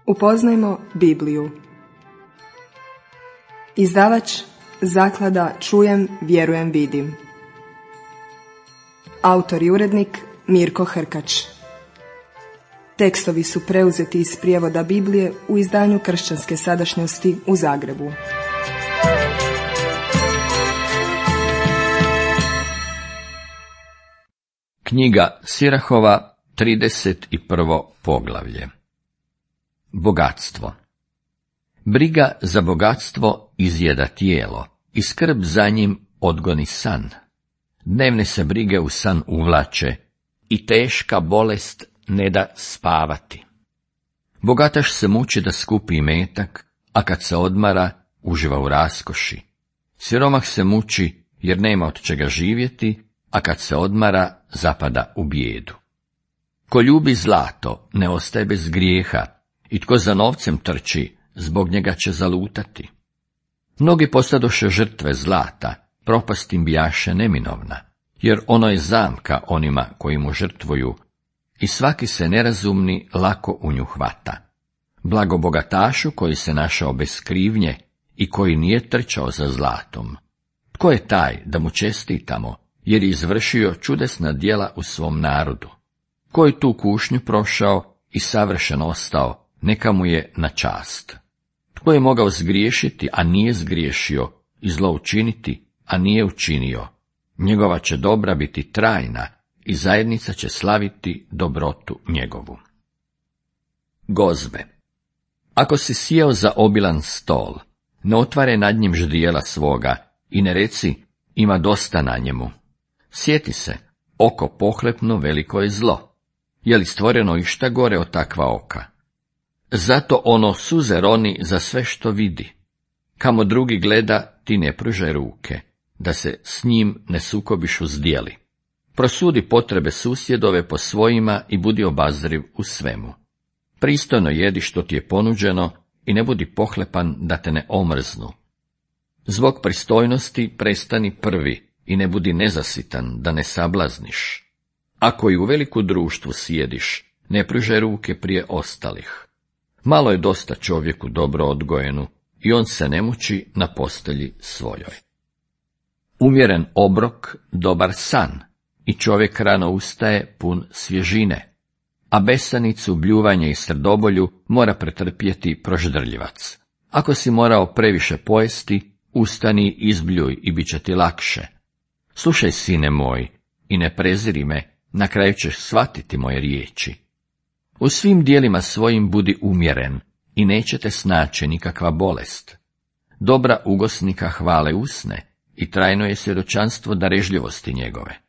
Upoznajmo Bibliju. Izdavač Zaklada Čujem, vjerujem, vidim. Autor i urednik Mirko Hrkač. Tekstovi su preuzeti iz prijevoda Biblije u izdanju Kršćanske sadašnjosti u Zagrebu. Knjiga Sirahova, 31. poglavlje. Bogatstvo. Briga za bogatstvo izjeda tijelo i skrb za njim odgoni san. Dnevne se brige u san uvlače i teška bolest ne da spavati. Bogataš se muči da skupi imetak, a kad se odmara, uživa u raskoši. Siromah se muči jer nema od čega živjeti, a kad se odmara, zapada u bijedu. Ko ljubi zlato, ne ostaje bez grijeha, i tko za novcem trči, zbog njega će zalutati. Mnogi postadoše žrtve zlata, propast im bijaše neminovna, jer ono je zamka onima koji mu žrtvuju, i svaki se nerazumni lako u nju hvata. Blago bogatašu koji se našao bez krivnje i koji nije trčao za zlatom. Tko je taj da mu čestitamo, jer je izvršio čudesna djela u svom narodu? Ko je tu kušnju prošao i savršen ostao, neka mu je na čast. Tko je mogao zgriješiti, a nije zgriješio, i zlo učiniti, a nije učinio? Njegova će dobra biti trajna i zajednica će slaviti dobrotu njegovu. Gozbe. Ako si sjeo za obilan stol, ne otvare nad njim ždrijela svoga i ne reci, ima dosta na njemu. Sjeti se, oko pohlepno veliko je zlo. Je li stvoreno išta gore od takva oka? Zato ono suze roni za sve što vidi. Kamo drugi gleda, ti ne pružaj ruke, da se s njim ne sukobiš u zdjeli. Prosudi potrebe susjedove po svojima i budi obazriv u svemu. Pristojno jedi što ti je ponuđeno i ne budi pohlepan da te ne omrznu. Zbog pristojnosti prestani prvi i ne budi nezasitan da ne sablazniš. Ako i u veliku društvu sjediš, ne pružaj ruke prije ostalih. Malo je dosta čovjeku dobro odgojenu i on se ne muči na postelji svojoj. Umjeren obrok, dobar san, i čovjek rano ustaje pun svježine, a besanicu, bljuvanje i srdobolju mora pretrpjeti proždrljivac. Ako si morao previše pojesti, ustani, izbljuj i bit će ti lakše. Slušaj, sine moj, i ne preziri me, na kraju ćeš shvatiti moje riječi. U svim dijelima svojim budi umjeren i neće te snaći nikakva bolest. Dobra ugosnika hvale usne i trajno je svjedočanstvo darežljivosti njegove.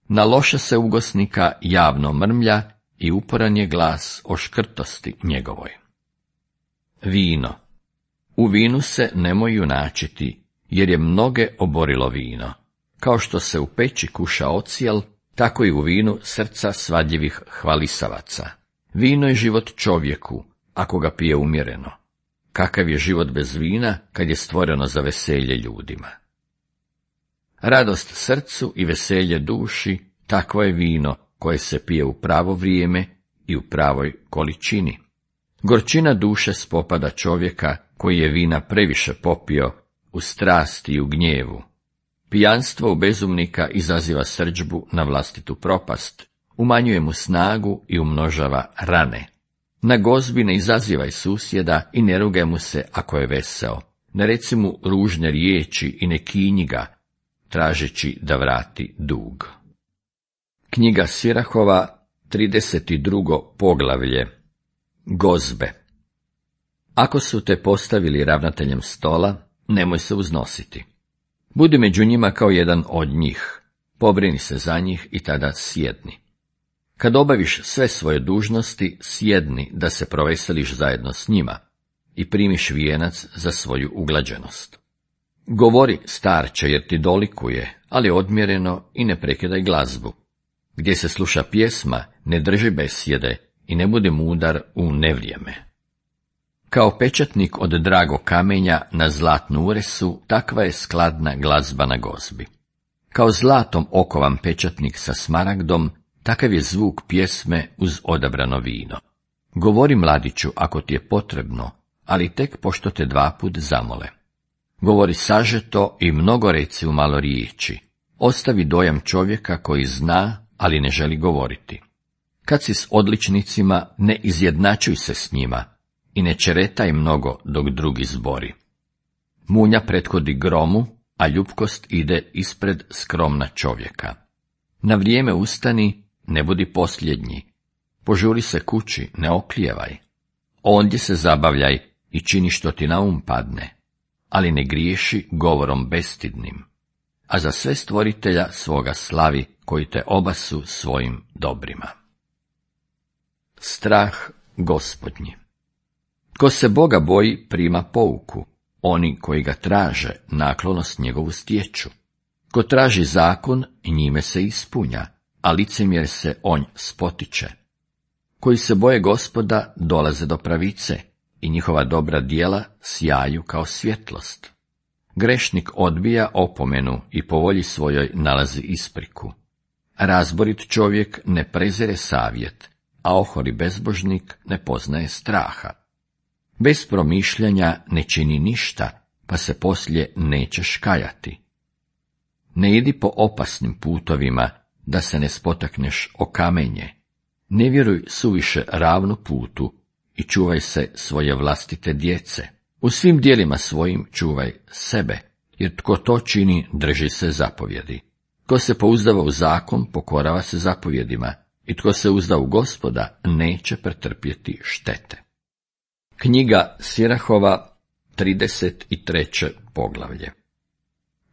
Na loša se ugosnika javno mrmlja i uporan je glas o škrtosti njegovoj. Vino. U vinu se nemoj junačiti, jer je mnoge oborilo vino. Kao što se u peći kuša ocijel, tako i u vinu srca svadljivih hvalisavaca. Vino je život čovjeku, ako ga pije umjereno. Kakav je život bez vina, kad je stvoreno za veselje ljudima? Radost srcu i veselje duši, takvo je vino koje se pije u pravo vrijeme i u pravoj količini. Gorčina duše spopada čovjeka koji je vina previše popio u strasti i u gnjevu. Pijanstvo u bezumnika izaziva srdžbu na vlastitu propast, umanjuje mu snagu i umnožava rane. Na gozbi ne izazivaj susjeda i ne rugaj mu se ako je veseo. Ne reci mu ružne riječi i ne kinji ga, tražeći da vrati dug. Knjiga Sirahova, 32. poglavlje. Gozbe. Ako su te postavili ravnateljem stola, nemoj se uznositi. Budi među njima kao jedan od njih, pobrini se za njih i tada sjedni. Kad obaviš sve svoje dužnosti, sjedni da se proveseliš zajedno s njima i primiš vijenac za svoju uglađenost. Govori, starče, jer ti dolikuje, ali odmjereno i ne prekidaj glazbu. Gdje se sluša pjesma, ne drži besjede i ne budi mudar u nevrijeme. Kao pečatnik od dragog kamenja na zlatnu uresu, takva je skladna glazba na gozbi. Kao zlatom okovan pečatnik sa smaragdom, takav je zvuk pjesme uz odabrano vino. Govori mladiću ako ti je potrebno, ali tek pošto te 2 put zamole. Govori sažeto i mnogo reci u malo riječi. Ostavi dojam čovjeka koji zna, ali ne želi govoriti. Kad si s odličnicima, ne izjednačuj se s njima i ne čeretaj mnogo dok drugi zbori. Munja prethodi gromu, a ljupkost ide ispred skromna čovjeka. Na vrijeme ustani, ne budi posljednji. Požuri se kući, ne oklijevaj. Ondje se zabavljaj i čini što ti na um padne, ali ne griješi govorom bestidnim. A za sve stvoritelja svoga slavi, koji te obasu svojim dobrima. Strah Gospodnji. Ko se Boga boji, prima pouku. Oni koji ga traže, naklonost njegovu stječu. Ko traži zakon, njime se ispunja, a licemjer se onj spotiče. Koji se boje Gospoda, dolaze do pravice, i njihova dobra djela sjaju kao svjetlost. Grešnik odbija opomenu i po volji svojoj nalazi ispriku. Razborit čovjek ne prezire savjet, a oholi bezbožnik ne poznaje straha. Bez promišljanja ne čini ništa, pa se poslije nećeš kajati. Ne idi po opasnim putovima, da se ne spotakneš o kamenje. Ne vjeruj suviše ravnu putu i čuvaj se svoje vlastite djece. U svim dijelima svojim čuvaj sebe, jer tko to čini, drži se zapovjedi. Tko se pouzdava u zakon, pokorava se zapovjedima, i tko se uzda u Gospoda, neće pretrpjeti štete. Knjiga Sirahova, 33. poglavlje.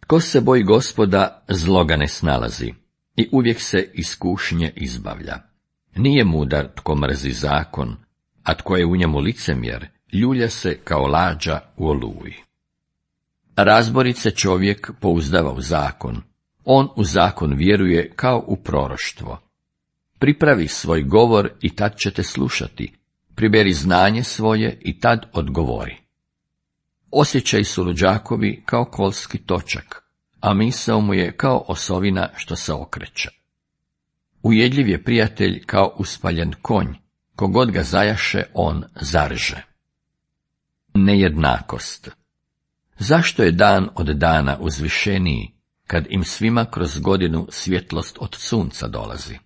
Tko se boji Gospoda, zlo ga ne snalazi, i uvijek se iskušnje izbavlja. Nije mudar tko mrzi zakon, a tko je u njemu licemjer, ljulja se kao lađa u oluji. Razborit se čovjek pouzdava u zakon, on u zakon vjeruje kao u proroštvo. Pripravi svoj govor i tad ćete slušati, priberi znanje svoje i tad odgovori. Osjećaj su luđakovi kao kolski točak, a misao mu je kao osovina što se okreće. Ujedljiv je prijatelj kao uspaljen konj, kogod ga zajaše on zarže. Nejednakost. Zašto je dan od dana uzvišeniji, kad im svima kroz godinu svjetlost od sunca dolazi?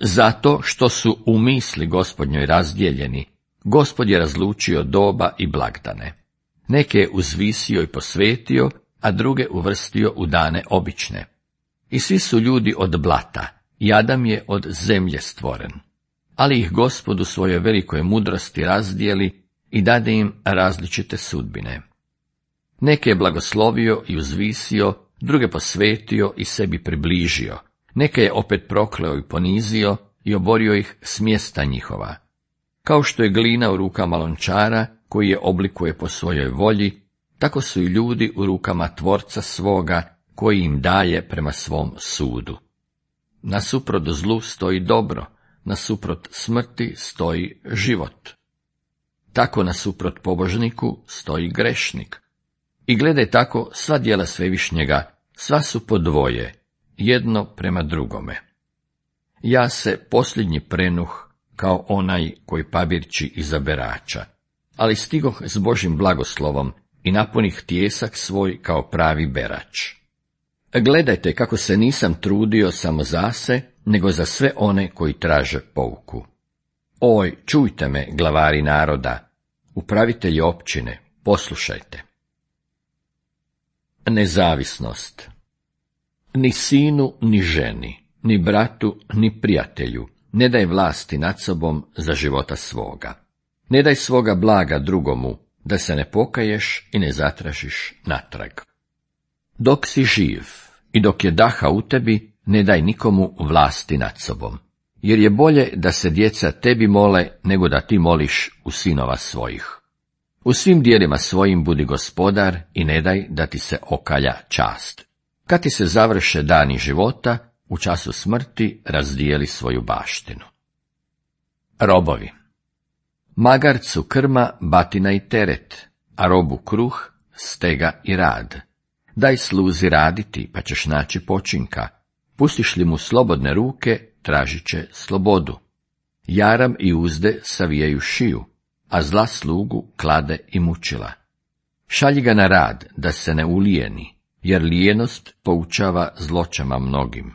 Zato što su u misli Gospodnjoj razdijeljeni, Gospod je razlučio doba i blagdane. Neke je uzvisio i posvetio, a druge uvrstio u dane obične. I svi su ljudi od blata, i Adam je od zemlje stvoren. Ali ih Gospod u svojoj velikoj mudrosti razdijeli i dade im različite sudbine. Neke je blagoslovio i uzvisio, druge posvetio i sebi približio. Neke je opet prokleo i ponizio i oborio ih s mjesta njihova. Kao što je glina u rukama lončara, koji je oblikuje po svojoj volji, tako su i ljudi u rukama tvorca svoga, koji im daje prema svom sudu. Nasuprot zlu stoji dobro, nasuprot smrti stoji život. Tako nasuprot pobožniku stoji grešnik. I gledaj tako sva djela Svevišnjega, sva su po dvoje, jedno prema drugome. Ja se posljednji prenuh kao onaj koji pabirči iza berača, ali stigoh s Božjim blagoslovom i napunih tijesak svoj kao pravi berač. Gledajte kako se nisam trudio samo za se, nego za sve one koji traže pouku. Oj, čujte me, glavari naroda, upravitelji općine, poslušajte. Nezavisnost. Ni sinu, ni ženi, ni bratu, ni prijatelju ne daj vlasti nad sobom za života svoga. Ne daj svoga blaga drugomu, da se ne pokaješ i ne zatražiš natrag. Dok si živ i dok je daha u tebi, ne daj nikomu vlasti nad sobom, jer je bolje da se djeca tebi mole, nego da ti moliš u sinova svojih. U svim dijelima svojim budi gospodar i ne daj da ti se okalja čast. Kad ti se završe dani života, u času smrti razdijeli svoju baštinu. Robovi. Magarcu krma, batina i teret, a robu kruh, stega i rad. Daj sluzi raditi, pa ćeš naći počinka. Pustiš li mu slobodne ruke, tražit će slobodu. Jaram i uzde savijaju šiju, a zla slugu klade i mučila. Šalji ga na rad, da se ne ulijeni, jer lijenost poučava zločama mnogim.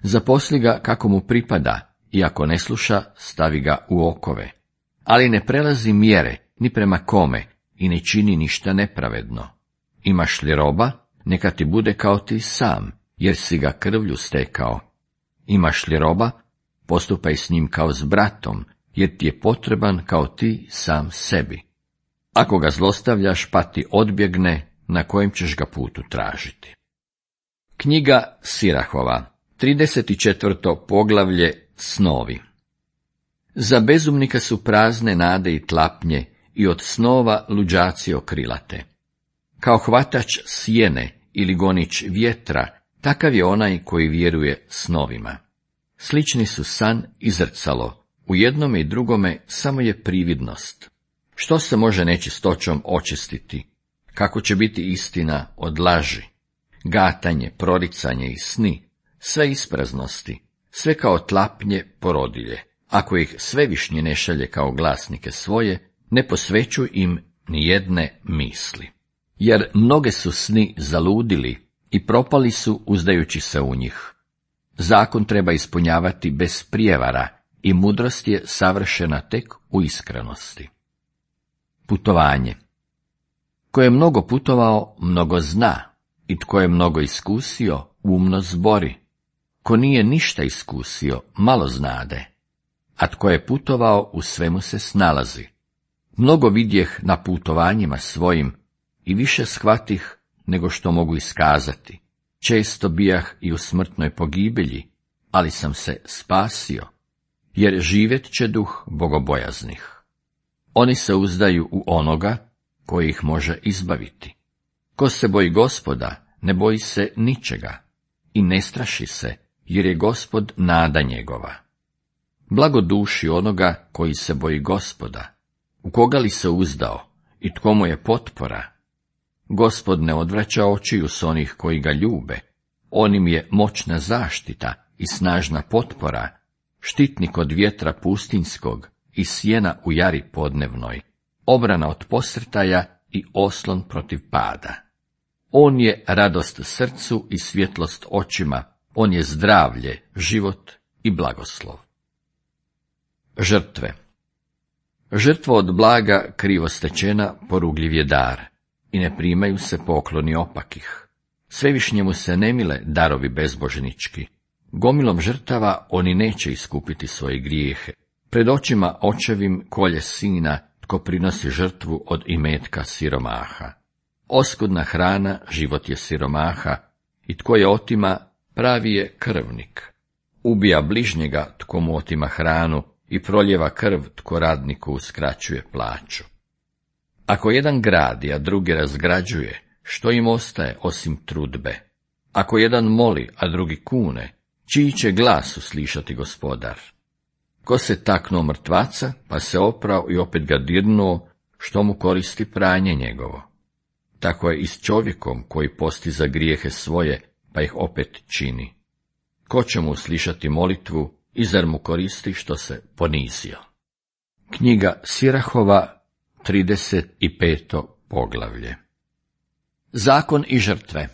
Zaposli ga kako mu pripada, i ako ne sluša, stavi ga u okove. Ali ne prelazi mjere, ni prema kome, i ne čini ništa nepravedno. Imaš li roba, neka ti bude kao ti sam, jer si ga krvlju stekao. Imaš li roba, postupaj s njim kao s bratom, jer ti je potreban kao ti sam sebi. Ako ga zlostavljaš, pa ti odbjegne, na kojem ćeš ga putu tražiti. Knjiga Sirahova, 34. poglavlje, snovi. Za bezumnika su prazne nade i tlapnje, i od snova luđaci okrilate. Kao hvatač sjene ili gonič vjetra, takav je onaj koji vjeruje snovima. Slični su san i zrcalo, u jednome i drugome samo je prividnost. Što se može nečistoćom očistiti? Kako će biti istina od laži? Gatanje, proricanje i sni, sve ispraznosti, sve kao tlapnje porodilje. Ako ih Svevišnji ne šalje kao glasnike svoje, ne posvećuj im ni jedne misli. Jer mnoge su sni zaludili i propali su uzdajući se u njih. Zakon treba ispunjavati bez prijevara i mudrost je savršena tek u iskrenosti. Putovanje. Ko je mnogo putovao, mnogo zna, i tko je mnogo iskusio, umno zbori. Ko nije ništa iskusio, malo znade, a tko je putovao, u svemu se snalazi. Mnogo vidjeh na putovanjima svojim i više shvatih nego što mogu iskazati. Često bijah i u smrtnoj pogibelji, ali sam se spasio, jer živjet će duh bogobojaznih. Oni se uzdaju u onoga koji ih može izbaviti. Ko se boji Gospoda, ne boji se ničega i ne straši se, jer je Gospod nada njegova. Blago duši onoga koji se boji Gospoda, u koga li se uzdao i tko mu je potpora. Gospod ne odvraća očiju s onih koji ga ljube, on im je moćna zaštita i snažna potpora, štitnik od vjetra pustinjskog i sjena u jari podnevnoj, obrana od posrtaja i oslon protiv pada. On je radost srcu i svjetlost očima, on je zdravlje, život i blagoslov. Žrtve. Žrtva od blaga krivo stečena porugljiv je dar, i ne primaju se pokloni opakih. Svevišnjemu se ne mile darovi bezbožnički. Gomilom žrtava oni neće iskupiti svoje grijehe. Pred očima očevim kolje sina, tko prinosi žrtvu od imetka siromaha. Oskudna hrana život je siromaha, i tko je otima, pravi je krvnik. Ubija bližnjega tko mu otima hranu i proljeva krv tko radniku uskraćuje plaću. Ako jedan gradi, a drugi razgrađuje, što im ostaje osim trudbe? Ako jedan moli, a drugi kune, čiji će glas uslišati Gospodar? Ko se taknuo mrtvaca, pa se oprao i opet ga dirnuo, što mu koristi pranje njegovo? Tako je i s čovjekom koji posti za grijehe svoje, pa ih opet čini. Ko će mu uslišati molitvu i zar mu koristi što se ponizio? Knjiga Sirahova, 35. poglavlje. Zakon i žrtve.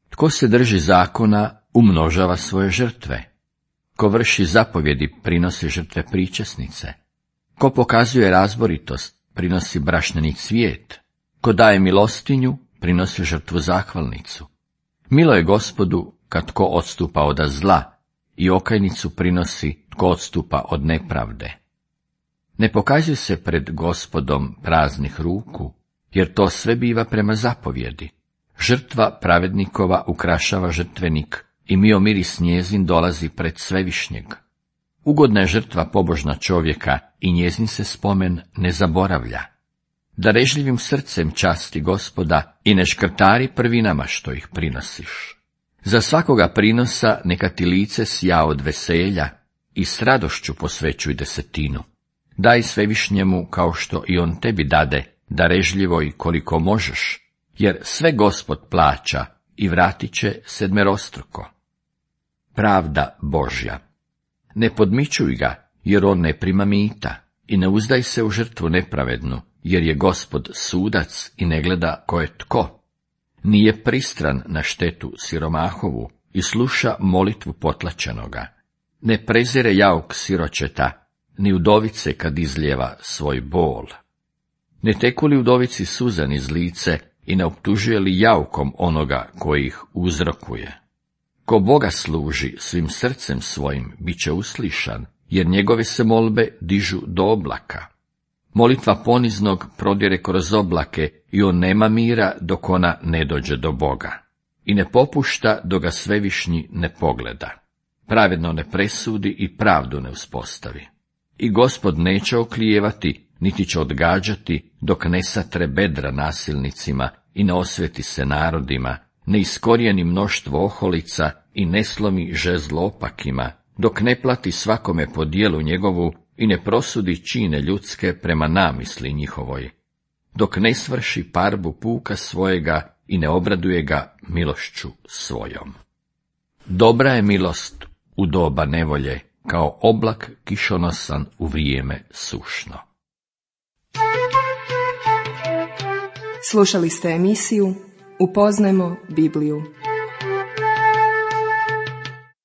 Tko se drži zakona, umnožava svoje žrtve. Ko vrši zapovjedi, prinosi žrtve pričesnice. Ko pokazuje razboritost, prinosi brašneni cvijet. Ko daje milostinju, prinosi žrtvu zahvalnicu. Milo je Gospodu kad tko odstupa od zla, i okajnicu prinosi tko odstupa od nepravde. Ne pokazuj se pred Gospodom praznih ruku, jer to sve biva prema zapovjedi. Žrtva pravednikova ukrašava žrtvenik, i mio miris njezin dolazi pred Svevišnjeg. Ugodna je žrtva pobožna čovjeka, i njezin se spomen ne zaboravlja. Darežljivim srcem časti Gospoda i ne škrtari prvinama što ih prinosiš. Za svakoga prinosa neka ti lice sja od veselja i s radošću posvećuj desetinu. Daj Svevišnjemu kao što i on tebi dade, darežljivo i koliko možeš, jer sve Gospod plaća i vratit će sedmerostruko. Pravda Božja. Ne podmićuj ga, jer on ne prima mita, i ne uzdaj se u žrtvu nepravednu, jer je Gospod sudac i ne gleda ko je tko. Nije pristran na štetu siromahovu i sluša molitvu potlačenoga. Ne prezire jauk siročeta, ni udovice kad izlijeva svoj bol. Ne teku li udovici suza niz lice i ne optužuje li jaukom onoga koji ih uzrokuje. Ko Boga služi svim srcem svojim, bit će uslišan, jer njegove se molbe dižu do oblaka. Molitva poniznog prodire kroz oblake i on nema mira dok ona ne dođe do Boga. I ne popušta dok ga svevišnji ne pogleda. Pravedno ne presudi i pravdu ne uspostavi. I Gospod neće oklijevati, niti će odgađati, dok ne satre bedra nasilnicima i ne osveti se narodima, ne iskorijeni mnoštvo oholica i ne slomi žezlo opakima, dok ne plati svakome po djelu njegovu i ne prosudi čine ljudske prema namisli njihovoj, dok ne svrši parbu puka svojega i ne obraduje ga milošću svojom. Dobra je milost u doba nevolje, kao oblak kišonosan u vrijeme sušno. Slušali ste emisiju Upoznajmo Bibliju.